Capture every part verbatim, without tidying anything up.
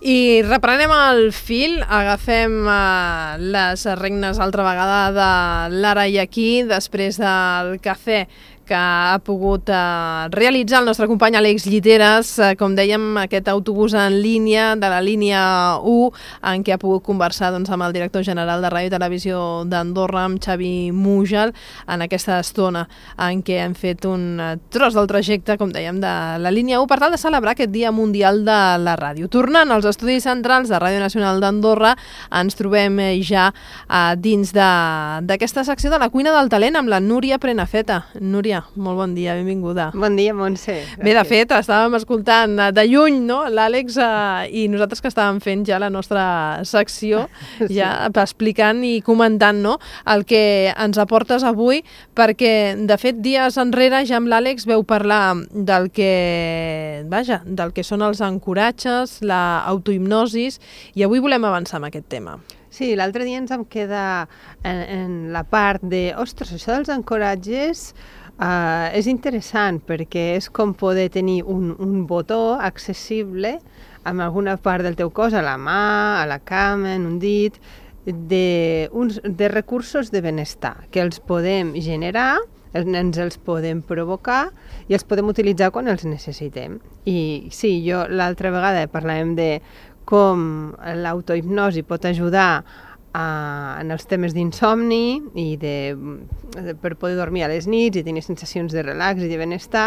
I reprenem el fil, agafem uh, les regnes altra vegada de l'Ara i Aquí, després del cafè que ha pogut uh, realitzar el nostre company Àlex Lliteres, uh, com dèiem, aquest autobús en línia de la línia u, en què ha pogut conversar doncs, amb el director general de Ràdio i Televisió d'Andorra, amb Xavi Mújal, en aquesta estona en què hem fet un tros del trajecte, com dèiem, de la línia u, per tal de celebrar aquest Dia Mundial de la Ràdio. Tornant als estudis centrals de Ràdio Nacional d'Andorra, ens trobem ja uh, dins d'aquesta secció de la cuina del talent amb la Núria Prenafeta. Núria, molt bon dia, benvinguda. Bon dia, Montse. Bé, de fet, estàvem escoltant de lluny, no?, l'Àlex eh, i nosaltres que estàvem fent ja la nostra secció, ja sí. explicant i comentant, no?, el que ens aportes avui, perquè, de fet, dies enrere ja amb l'Àlex veu parlar del que, vaja, del que són els ancoratges, l'autohipnosis, i avui volem avançar en aquest tema. Sí, l'altre dia ens vam quedar en, en la part de, ostres, això dels ancoratges uh, és interessant perquè és com poder tenir un, un botó accessible amb alguna part del teu cos, a la mà, a la cama, en un dit, de, uns, de recursos de benestar que els podem generar, ens els podem provocar i els podem utilitzar quan els necessitem. I sí, jo l'altra vegada parlàvem de com l'autohipnosi pot ajudar a, en els temes d'insomni i de, de, per poder dormir a les nits i tenir sensacions de relax i de benestar.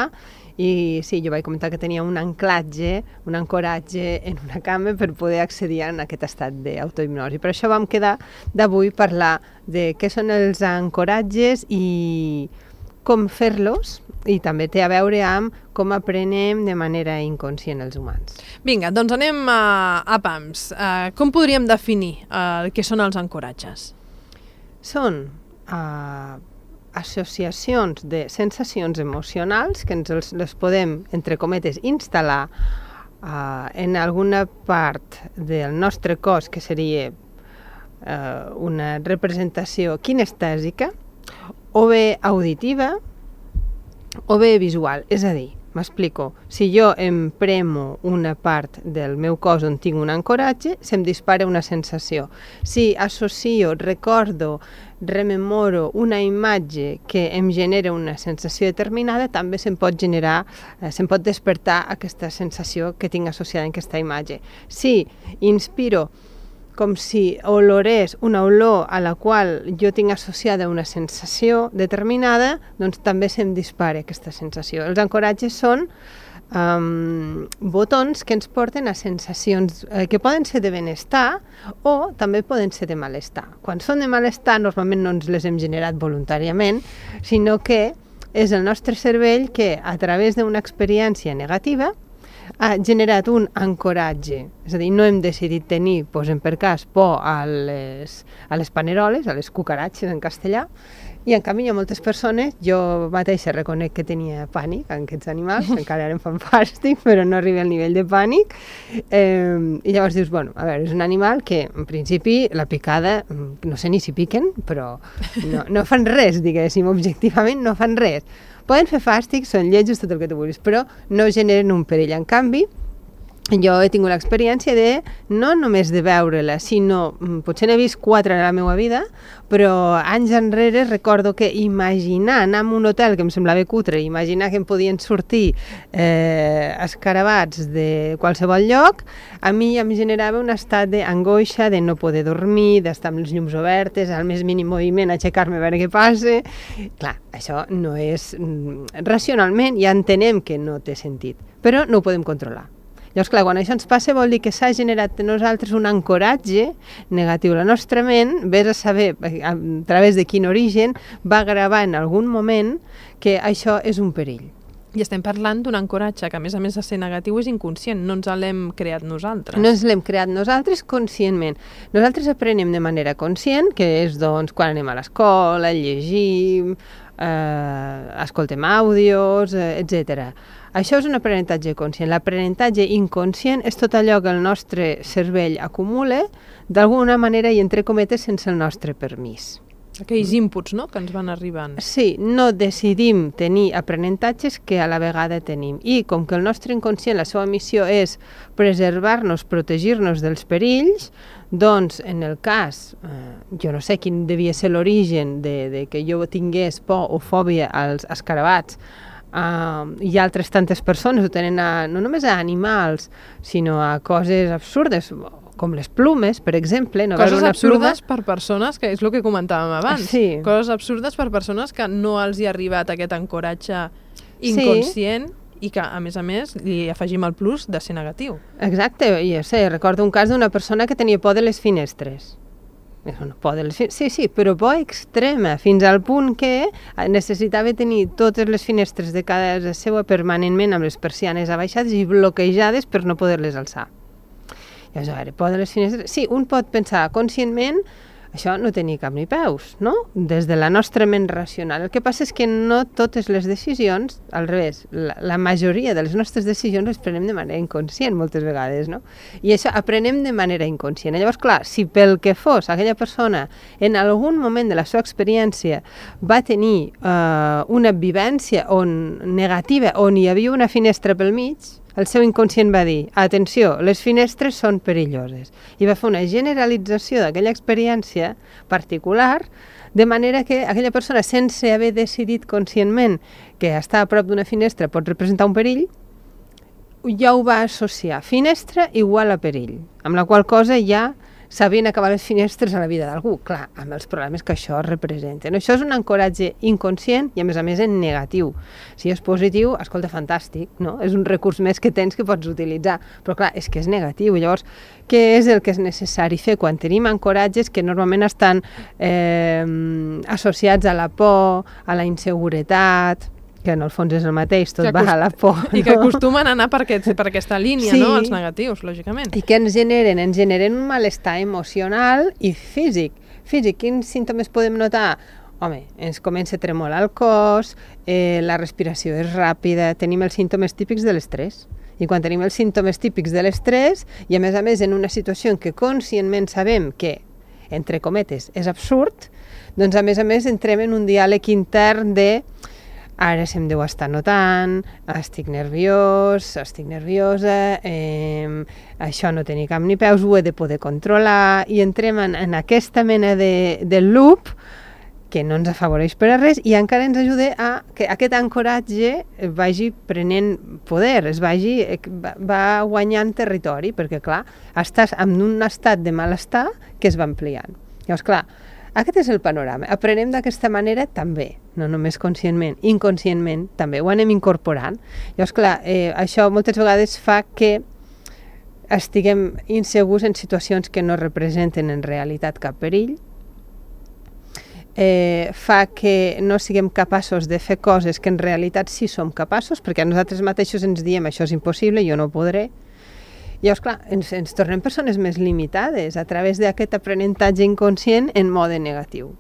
I sí, jo vaig comentar que tenia un anclatge, un ancoratge en una cama per poder accedir a aquest estat d'autohipnosi. Per això vam quedar d'avui parlar de què són els ancoratges i com fer-los, i també té a veure amb com aprenem de manera inconscient els humans. Vinga, doncs anem a, a pams. Uh, com podríem definir uh, què són els ancoratges? Són uh, associacions de sensacions emocionals que ens els, les podem, entre cometes, instal·lar uh, en alguna part del nostre cos, que seria uh, una representació kinestèsica, o bé auditiva, o bé visual. És a dir, m'explico, si jo em premo una part del meu cos on tinc un ancoratge, se'm dispara una sensació. Si associo, recordo, rememoro una imatge que em genera una sensació determinada, també se'm pot generar, eh, se'm pot despertar aquesta sensació que tinc associada en aquesta imatge. Si inspiro com si olorés una olor a la qual jo tinc associada una sensació determinada, doncs també se'm dispara aquesta sensació. Els ancoratges són um, botons que ens porten a sensacions eh, que poden ser de benestar o també poden ser de malestar. Quan són de malestar, normalment no ens les hem generat voluntàriament, sinó que és el nostre cervell que, a través d'una experiència negativa, ha generat un ancoratge. És a dir, no hem decidit tenir, posem per cas, por a les, a les paneroles, a les cucaratxes en castellà, i en canvi hi ha moltes persones, jo mateixa reconec que tenia pànic en aquests animals, encara ara em fan fàstic, però no arriba al nivell de pànic, eh, i llavors dius, bueno, a veure, és un animal que, en principi, la picada, no sé ni si piquen, però no, no fan res, diguéssim, objectivament no fan res. Poden fer fàstic, són lletjos, tot el que tu vulguis, però no generen un perill. En canvi, jo he tingut l'experiència de, no només de veure-la, sinó, potser n'he vist quatre en la meva vida, però anys enrere recordo que imaginar anar a un hotel que em semblava cutre, imaginar que em podien sortir eh, escarabats de qualsevol lloc, a mi ja em generava un estat d'angoixa, de no poder dormir, d'estar amb les llums obertes, al més mínim moviment, aixecar-me a veure què passa. Clar, això no és... Racionalment ja entenem que no té sentit, però no ho podem controlar. Llavors, clar, quan això ens passa vol dir que s'ha generat en nosaltres un ancoratge negatiu. La nostra ment, vés a saber a través de quin origen, va gravar en algun moment que això és un perill. I estem parlant d'un ancoratge que, a més a més de ser negatiu, és inconscient, no ens l'hem creat nosaltres. No ens l'hem creat nosaltres conscientment. Nosaltres aprenem de manera conscient, que és doncs quan anem a l'escola, llegim, eh, escoltem àudios, eh, etcètera. Això és un aprenentatge conscient. L'aprenentatge inconscient és tot allò que el nostre cervell acumula d'alguna manera i entre cometes sense el nostre permís. Aquells inputs, no?, que ens van arribant. Sí, no decidim tenir aprenentatges que a la vegada tenim. I com que el nostre inconscient, la seva missió és preservar-nos, protegir-nos dels perills, doncs, en el cas, eh, jo no sé quin devia ser l'origen de, de que jo tingués por o fòbia als escarabats, Uh, hi ha altres tantes persones ho tenen a, no només a animals, sinó a coses absurdes, com les plumes, per exemple. No coses una absurdes pluma... per persones, que és el que comentàvem abans. Sí. Coses absurdes per persones que no els hi ha arribat aquest ancoratge inconscient, sí, i que, a més a més, li afegim el plus de ser negatiu. Exacte, jo sé, recordo un cas d'una persona que tenia por de les finestres. No, por de les fin... Sí, sí, però por extrema, fins al punt que necessitava tenir totes les finestres de casa seva permanentment amb les persianes abaixades i bloquejades per no poder-les alçar. Llavors, a veure, por de les finestres... Sí, un pot pensar conscientment, això no té ni cap ni peus, no? Des de la nostra ment racional. El que passa és que no totes les decisions, al revés, la, la majoria de les nostres decisions les prenem de manera inconscient moltes vegades, no? I això aprenem de manera inconscient. Llavors, clar, si pel que fos aquella persona en algun moment de la seva experiència va tenir eh, una vivència on, negativa on hi havia una finestra pel mig, el seu inconscient va dir, atenció, les finestres són perilloses. I va fer una generalització d'aquella experiència particular, de manera que aquella persona, sense haver decidit conscientment que estar a prop d'una finestra pot representar un perill, ja ho va associar. Finestra igual a perill, amb la qual cosa ja sabien acabar les finestres a la vida d'algú, clar, amb els problemes que això representen. Això és un ancoratge inconscient i, a més a més, en negatiu. Si és positiu, escolta, fantàstic, no? És un recurs més que tens que pots utilitzar, però clar, és que és negatiu. Llavors, què és el que és necessari fer quan tenim ancoratges que normalment estan eh, associats a la por, a la inseguretat, que en el fons és el mateix, tot va a la por. I que acostumen a anar per, aquest, per aquesta línia, sí, no?, els negatius, lògicament. I que ens generen? Ens generen un malestar emocional i físic. Físic, quins símptomes podem notar? Home, ens comença a tremolar el cos, eh, la respiració és ràpida, tenim els símptomes típics de l'estrès. I quan tenim els símptomes típics de l'estrès, i a més a més en una situació en què conscientment sabem que, entre cometes, és absurd, doncs a més a més entrem en un diàleg intern de ara se'm deu estar notant, estic nerviós, estic nerviosa, eh, això no té ni cap ni peus, ho he de poder controlar, i entrem en, en aquesta mena de, de loop que no ens afavoreix per a res i encara ens ajuda a que aquest ancoratge vagi prenent poder, es vagi, va guanyant territori, perquè clar, estàs en un estat de malestar que es va ampliant. Llavors, clar, aquest és el panorama. Aprenem d'aquesta manera també, no només conscientment, inconscientment també, ho anem incorporant. Llavors, clar, eh, això moltes vegades fa que estiguem insegurs en situacions que no representen en realitat cap perill, eh, fa que no siguem capaços de fer coses que en realitat sí som capaços, perquè a nosaltres mateixos ens diem això és impossible, jo no podré. Llavors, clar, ens, ens tornem persones més limitades a través d'aquest aprenentatge inconscient en mode negatiu.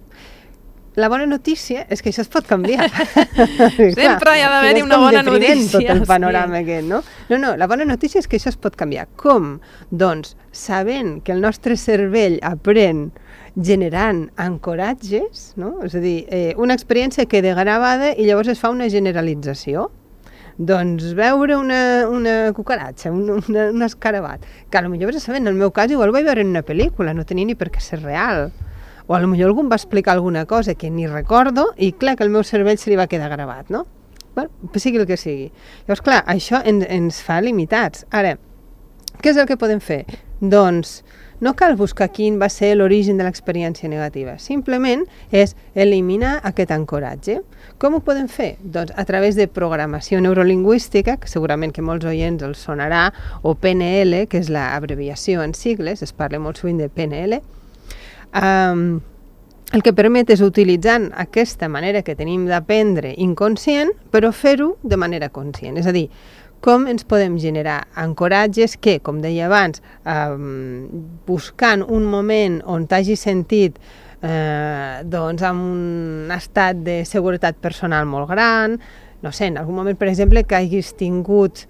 La bona notícia és que això es pot canviar. Sempre hi ha d'haver-hi una bona notícia. Tot el panorama sí. aquest, no? No, no, la bona notícia és que això es pot canviar. Com? Doncs sabent que el nostre cervell aprèn generant ancoratges, no? És a dir, eh, una experiència queda gravada i llavors es fa una generalització. Doncs veure una, una cucaratxa, un, una, un escarabat, que potser vas a saber, en el meu cas igual ho vaig veure en una pel·lícula, no tenia ni per què ser real. O potser algú em va explicar alguna cosa que ni recordo i clar que el meu cervell se li va quedar gravat, no? Bueno, sigui el que sigui. Llavors, clar, això ens, ens fa limitats. Ara, què és el que podem fer? Doncs no cal buscar quin va ser l'origen de l'experiència negativa, simplement és eliminar aquest ancoratge. Com ho podem fer? Doncs a través de programació neurolingüística, que segurament que molts oients els sonarà, o P N L, que és l'abreviació en sigles, es parla molt sovint de P N L, um, el que permet és utilitzant aquesta manera que tenim d'aprendre inconscient, però fer-ho de manera conscient, és a dir, com ens podem generar ancoratges que, com deia abans, eh, buscant un moment on t'hagi sentit eh, doncs, amb un estat de seguretat personal molt gran, no sé, en algun moment, per exemple, que hagis tingut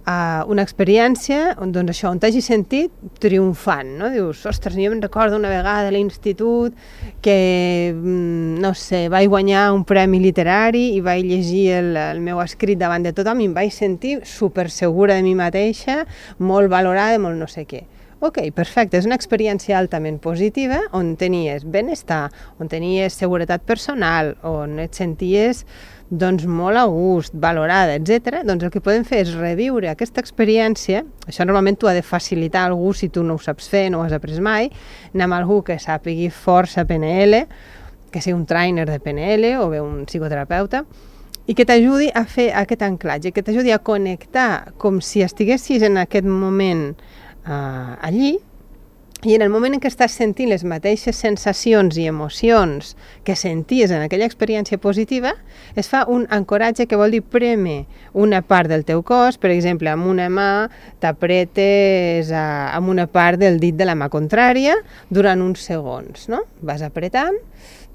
Uh, una experiència on, doncs això, on t'hagi sentit triomfant, no? Dius, ostres, jo me'n recordo una vegada a l'institut que, no sé, vaig guanyar un premi literari i vaig llegir el, el meu escrit davant de tothom i em vaig sentir super segura de mi mateixa, molt valorada, molt no sé què. Ok, perfecte, és una experiència altament positiva on tenies benestar, on tenies seguretat personal, on et senties doncs molt a gust, valorada, etcètera. Doncs el que podem fer és reviure aquesta experiència. Això normalment t'ho ha de facilitar algú si tu no ho saps fer, no ho has après mai, anar amb algú que sàpigui força P N L, que sigui un trainer de P N L o bé un psicoterapeuta, i que t'ajudi a fer aquest anclatge, que t'ajudi a connectar com si estiguessis en aquest moment uh, allí, i en el moment en què estàs sentint les mateixes sensacions i emocions que senties en aquella experiència positiva, es fa un ancoratge que vol dir prémer una part del teu cos, per exemple, amb una mà t'apretes a, amb una part del dit de la mà contrària durant uns segons, no? Vas apretant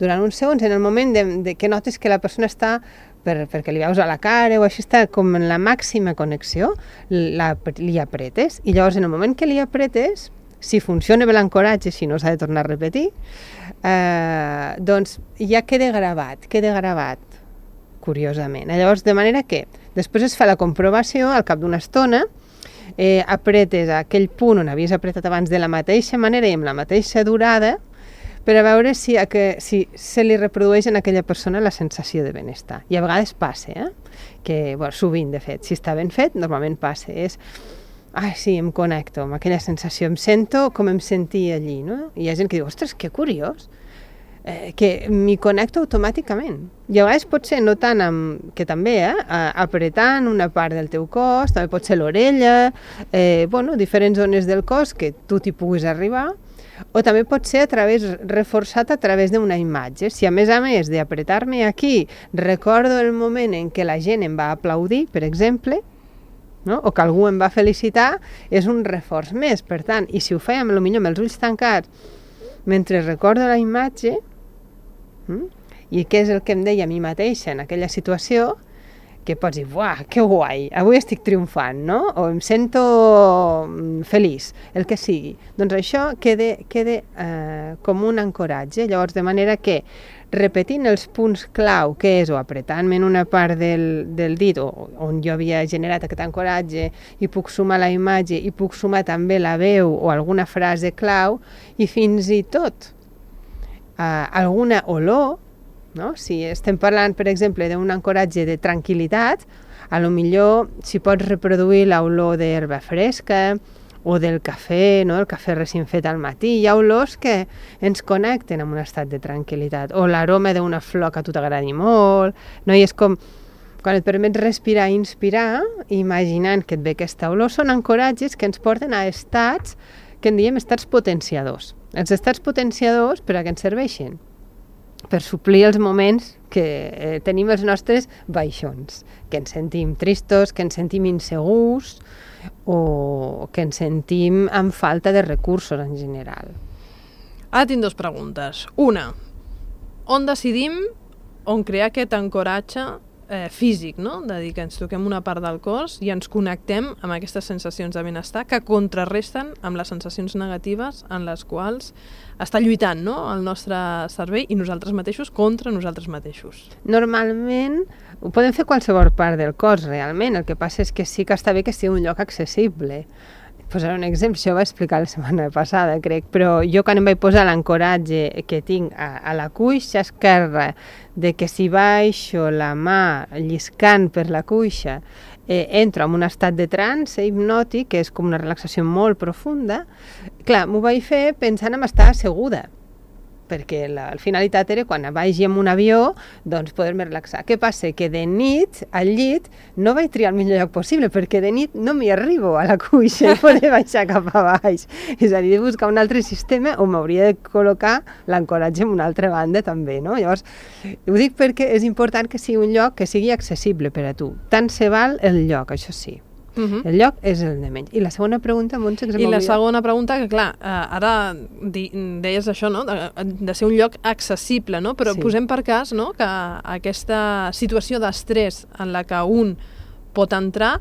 durant uns segons, en el moment de, de que notes que la persona està Per, perquè li veus a la cara o així, està com en la màxima connexió, la, li apretes, i llavors en el moment que li apretes, si funciona bé l'ancoratge, si no s'ha de tornar a repetir, eh, doncs ja queda gravat, queda gravat, curiosament. Llavors, de manera que després es fa la comprovació, al cap d'una estona, eh, apretes a aquell punt on havies apretat abans de la mateixa manera i amb la mateixa durada, per a veure si, a que, si se li reprodueix en aquella persona la sensació de benestar. I a vegades passa, eh? que bueno, sovint, de fet, si està ben fet, normalment passa. És, ai, sí, em connecto amb aquella sensació, em sento com em sentia allí, no? I hi ha gent que diu, ostres, que curiós, eh, que m'hi connecto automàticament. I a vegades pot ser no tant amb, que també, eh, apretant una part del teu cos, també pot ser l'orella, eh, bueno, diferents zones del cos que tu t'hi puguis arribar, o també pot ser a través, reforçat a través d'una imatge. Si a més a més d'apretar-me aquí recordo el moment en què la gent em va aplaudir, per exemple, no? O que algú em va felicitar, és un reforç més. Per tant, i si ho feia potser amb els ulls tancats, mentre recordo la imatge, hm? I què és el que em deia a mi mateixa en aquella situació, que pots dir, uah, que guai, avui estic triomfant, no? O em sento feliç, el que sigui. Doncs això queda, queda eh, com un ancoratge, llavors de manera que repetint els punts clau, que és o apretant-me en una part del, del dit, o on jo havia generat aquest ancoratge, i puc sumar la imatge, i puc sumar també la veu o alguna frase clau, i fins i tot eh, alguna olor. No? Si estem parlant, per exemple, d'un ancoratge de tranquil·litat, a lo millor si pots reproduir l'olor d'herba fresca o del cafè, no? El cafè recient fet al matí, hi ha olors que ens connecten amb un estat de tranquil·litat, o l'aroma d'una flor que a tu t'agradi molt, no? I és com, quan et permets respirar i inspirar, imaginant que et ve aquesta olor, són ancoratges que ens porten a estats que en diem estats potenciadors. Els estats potenciadors, per a què ens serveixen? Per suplir els moments que eh, tenim els nostres baixons, que ens sentim tristos, que ens sentim insegurs o que ens sentim amb falta de recursos en general. Ara tinc dues preguntes. Una, on decidim on crear aquest ancoratge eh, físic, no? De dir que ens toquem una part del cos i ens connectem amb aquestes sensacions de benestar que contrarresten amb les sensacions negatives en les quals està lluitant, no? El nostre cervell i nosaltres mateixos contra nosaltres mateixos. Normalment ho podem fer qualsevol part del cos, realment. El que passa és que sí que està bé que sigui un lloc accessible. Posaré un exemple, això ho vaig explicar la setmana passada, crec, però jo quan em vaig posar l'ancoratge que tinc a, a la cuixa esquerra, de que si baixo la mà lliscant per la cuixa, eh, entro en un estat de trance hipnòtic, que és com una relaxació molt profunda, clar, m'ho vaig fer pensant en estar asseguda, perquè la, la finalitat era quan vagi en un avió, doncs poder-me relaxar. Què passa? Que de nit, al llit, no vaig triar el millor lloc possible, perquè de nit no m'hi arribo a la cuixa i poder baixar cap a baix. És a dir, de buscar un altre sistema on m'hauria de col·locar l'ancoratge en una altra banda també, no? Llavors, ho dic perquè és important que sigui un lloc que sigui accessible per a tu. Tant se val el lloc, això sí. Uh-huh. El lloc és el de menys. I la segona pregunta, Montse, que se I la m'oblida. segona pregunta, que clar, eh, ara di, deies això, no? De, de ser un lloc accessible, no? Però sí. Posem per cas, no?, que aquesta situació d'estrès en la que un pot entrar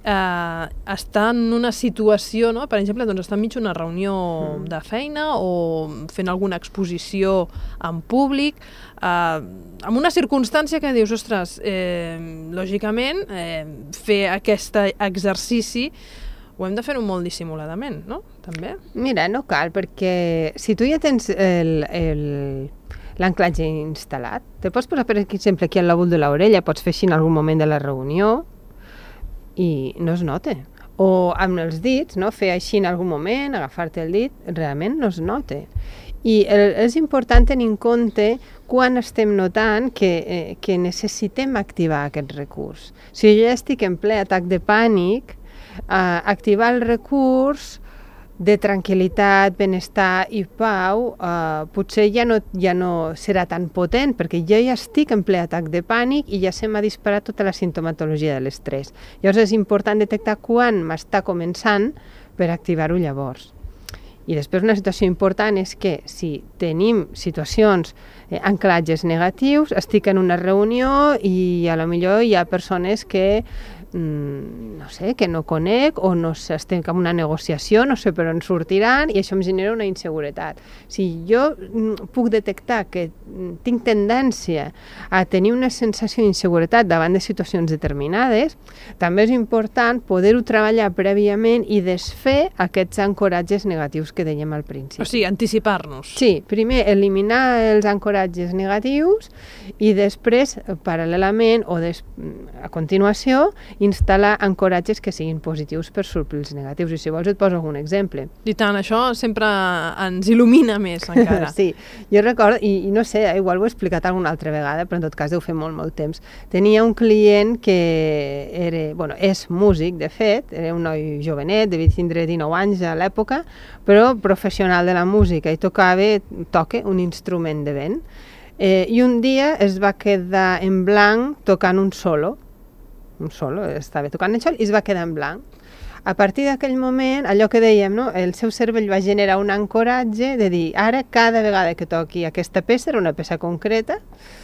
eh, està en una situació, no? Per exemple, doncs està enmig d'una reunió mm. de feina o fent alguna exposició en públic, eh, amb una circumstància que dius, ostres, eh, lògicament, eh, fer aquest exercici ho hem de fer molt dissimuladament, no? També. Mira, no cal, perquè si tu ja tens el... el l'anclatge instal·lat. Te pots posar, per exemple, aquí al lòbul de l'orella, pots fer així en algun moment de la reunió i no es nota. O amb els dits, no? Fer així en algun moment, agafar-te el dit, realment no es nota. I el, és important tenir en compte quan estem notant que, eh, que necessitem activar aquest recurs. Si jo ja estic en ple atac de pànic, eh, activar el recurs de tranquil·litat, benestar i pau, eh, potser ja no, ja no serà tan potent, perquè jo ja estic en ple atac de pànic i ja se m'ha disparat tota la sintomatologia de l'estrès. Llavors és important detectar quan m'està començant per activar-ho llavors. I després una situació important és que si tenim situacions, eh, anclatges negatius, estic en una reunió i a lo millor hi ha persones que no sé, que no conec o no sé, estem en una negociació, no sé per on sortiran i això em genera una inseguretat. Si jo puc detectar que tinc tendència a tenir una sensació d'inseguretat davant de situacions determinades, també és important poder-ho treballar prèviament i desfer aquests ancoratges negatius que dèiem al principi. O sigui, anticipar-nos. Sí, primer eliminar els ancoratges negatius i després, paral·lelament o des, a continuació, instal·lar ancoratges que siguin positius per suplir els negatius. I si vols et poso algun exemple. I tant, això sempre ens il·lumina més encara. Sí, jo recordo, i, i no sé, igual ho he explicat alguna altra vegada, però en tot cas deu fer molt, molt temps. Tenia un client que era, bueno, és músic, de fet, era un noi jovenet, devia tindre dinou anys a l'època, però professional de la música i tocava, toca un instrument de vent. Eh, I un dia es va quedar en blanc tocant un solo, un solo, estava tocant això i es va quedar en blanc. A partir d'aquell moment, allò que dèiem, no? El seu cervell va generar un ancoratge de dir, ara cada vegada que toqui aquesta peça, era una peça concreta,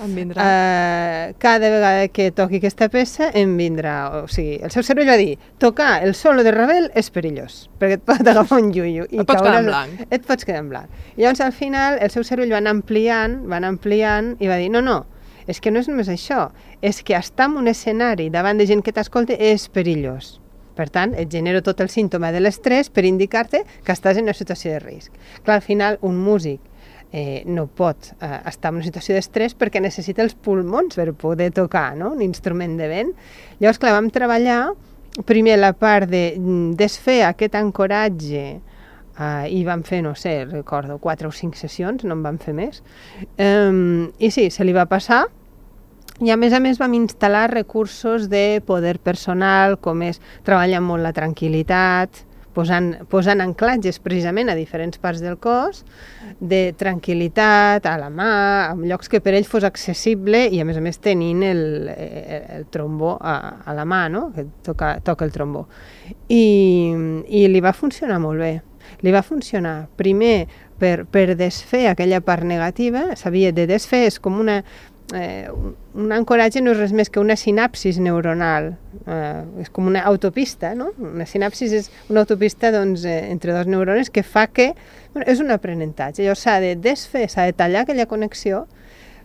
em vindrà. Uh, cada vegada que toqui aquesta peça em vindrà. O sigui, el seu cervell va dir, tocar el solo de Ravel és perillós, perquè et pot agafar un iuiu. Et pots quedar en blanc. Et pots quedar en blanc. I llavors al final el seu cervell va anar ampliant, va anar ampliant i va dir, no, no, és que no és només això, és que estar en un escenari davant de gent que t'escolta és perillós. Per tant, et genera tot el símptoma de l'estrès per indicar-te que estàs en una situació de risc. Clar, al final, un músic eh, no pot eh, estar en una situació d'estrès perquè necessita els pulmons per poder tocar, no? Un instrument de vent. Llavors, clar, vam treballar primer la part de desfer aquest ancoratge Uh, i vam fer, no sé, recordo, quatre o cinc sessions, no en vam fer més. Um, I sí, se li va passar i a més a més vam instal·lar recursos de poder personal, com és treballar molt la tranquil·litat, posant, posant anclatges precisament a diferents parts del cos, de tranquil·litat, a la mà, en llocs que per ell fos accessible i a més a més tenint el, el, el trombó a, a la mà, no? Que toca, toca el trombó. I, i li va funcionar molt bé. Li va funcionar primer per, per desfer aquella part negativa, s'havia de desfer, és com una, eh, un ancoratge no és res més que una sinapsis neuronal, eh, és com una autopista, no? Una sinapsis és una autopista doncs, eh, entre dos neurones que fa que, bueno, és un aprenentatge, llavors s'ha de desfer, s'ha de tallar aquella connexió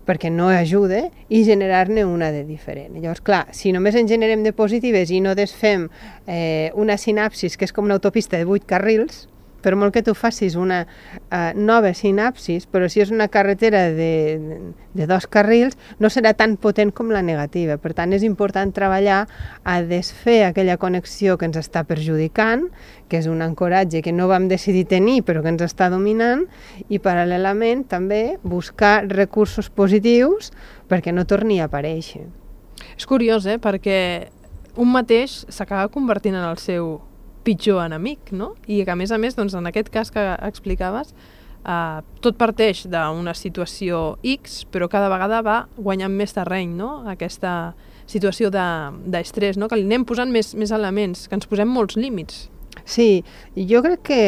perquè no ajuda i generar-ne una de diferent. Llavors, clar, si només en generem de positives i no desfem eh, una sinapsis que és com una autopista de vuit carrils, per molt que tu facis una uh, nova sinapsis, però si és una carretera de, de, de dos carrils, no serà tan potent com la negativa. Per tant, és important treballar a desfer aquella connexió que ens està perjudicant, que és un ancoratge que no vam decidir tenir, però que ens està dominant, i paral·lelament també buscar recursos positius perquè no torni a aparèixer. És curiós, eh? Perquè un mateix s'acaba convertint en el seu pitjor enemic, no? I que a més a més, doncs, en aquest cas que explicaves, eh, tot parteix d'una situació X, però cada vegada va guanyant més terreny, no? Aquesta situació d'estrès, de, no? Que li anem posant més, més elements, que ens posem molts límits. Sí, jo crec que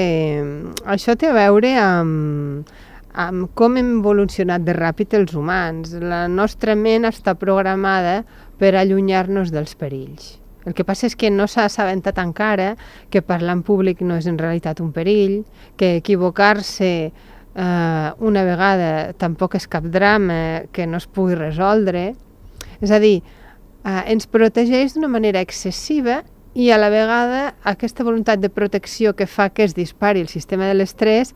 això té a veure amb, amb com hem evolucionat de ràpid els humans. La nostra ment està programada per allunyar-nos dels perills. El que passa és que no s'ha assabentat encara que parlar en públic no és en realitat un perill, que equivocar-se eh, una vegada tampoc és cap drama que no es pugui resoldre. És a dir, eh, ens protegeix d'una manera excessiva i a la vegada aquesta voluntat de protecció que fa que es dispari el sistema de l'estrès,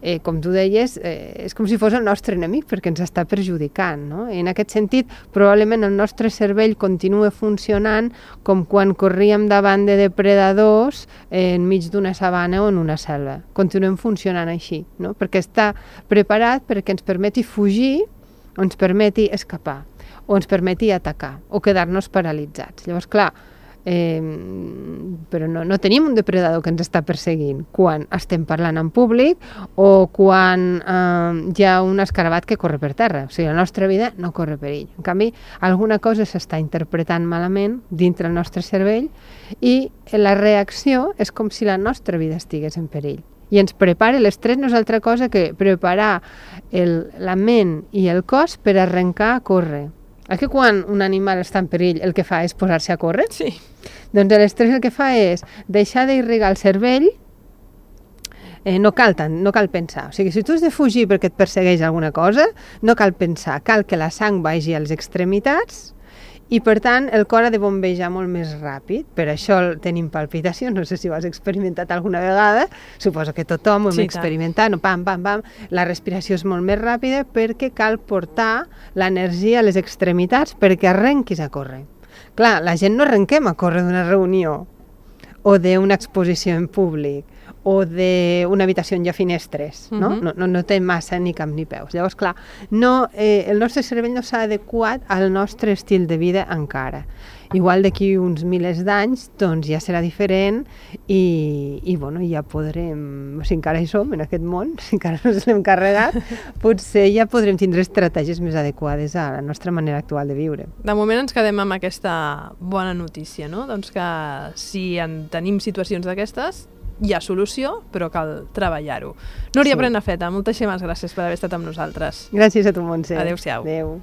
eh, com tu deies, eh, és com si fos el nostre enemic perquè ens està perjudicant, no? I en aquest sentit, probablement el nostre cervell continua funcionant com quan corríem davant de depredadors eh, enmig d'una sabana o en una selva. Continuem funcionant així, no? Perquè està preparat perquè ens permeti fugir o ens permeti escapar o ens permeti atacar o quedar-nos paralitzats. Llavors, clar, Eh, però no, no tenim un depredador que ens està perseguint quan estem parlant en públic o quan eh, hi ha un escarabat que corre per terra. O sigui, la nostra vida no corre perill. En canvi, alguna cosa s'està interpretant malament dintre el nostre cervell i la reacció és com si la nostra vida estigués en perill. I ens prepara, l'estrès no és altra cosa que preparar el, la ment i el cos per arrencar a córrer. És que quan un animal està en perill el que fa és posar-se a córrer? Sí. Doncs l'estrès el que fa és deixar d'irrigar el cervell, eh, no cal tant, no cal pensar. O sigui, si tu has de fugir perquè et persegueix alguna cosa, no cal pensar, cal que la sang vagi a les extremitats i, per tant, el cor ha de bombejar molt més ràpid. Per això tenim palpitacions, no sé si ho has experimentat alguna vegada, suposo que tothom ho hem sí, experimentat, no, pam, pam, pam, la respiració és molt més ràpida perquè cal portar l'energia a les extremitats perquè arrenquis a córrer. Clar, la gent no arrenquem a córrer d'una reunió o d'una exposició en públic o d'una habitació on hi ha finestres, no? Uh-huh. No, no, no té massa ni cap ni peus. Llavors, clar, no, eh, el nostre cervell no s'ha adequat al nostre estil de vida encara. Igual d'aquí uns milers d'anys, doncs ja serà diferent i, i bueno, ja podrem, si encara hi som en aquest món, si encara no ens l'hem carregat, potser ja podrem tindre estratègies més adequades a la nostra manera actual de viure. De moment ens quedem amb aquesta bona notícia, no? Doncs que si en tenim situacions d'aquestes, hi ha solució, però cal treballar-ho. Núria sí. Prenafeta, moltíssimes gràcies per haver estat amb nosaltres. Gràcies a tu, Montse. Adéu-siau. Adéu.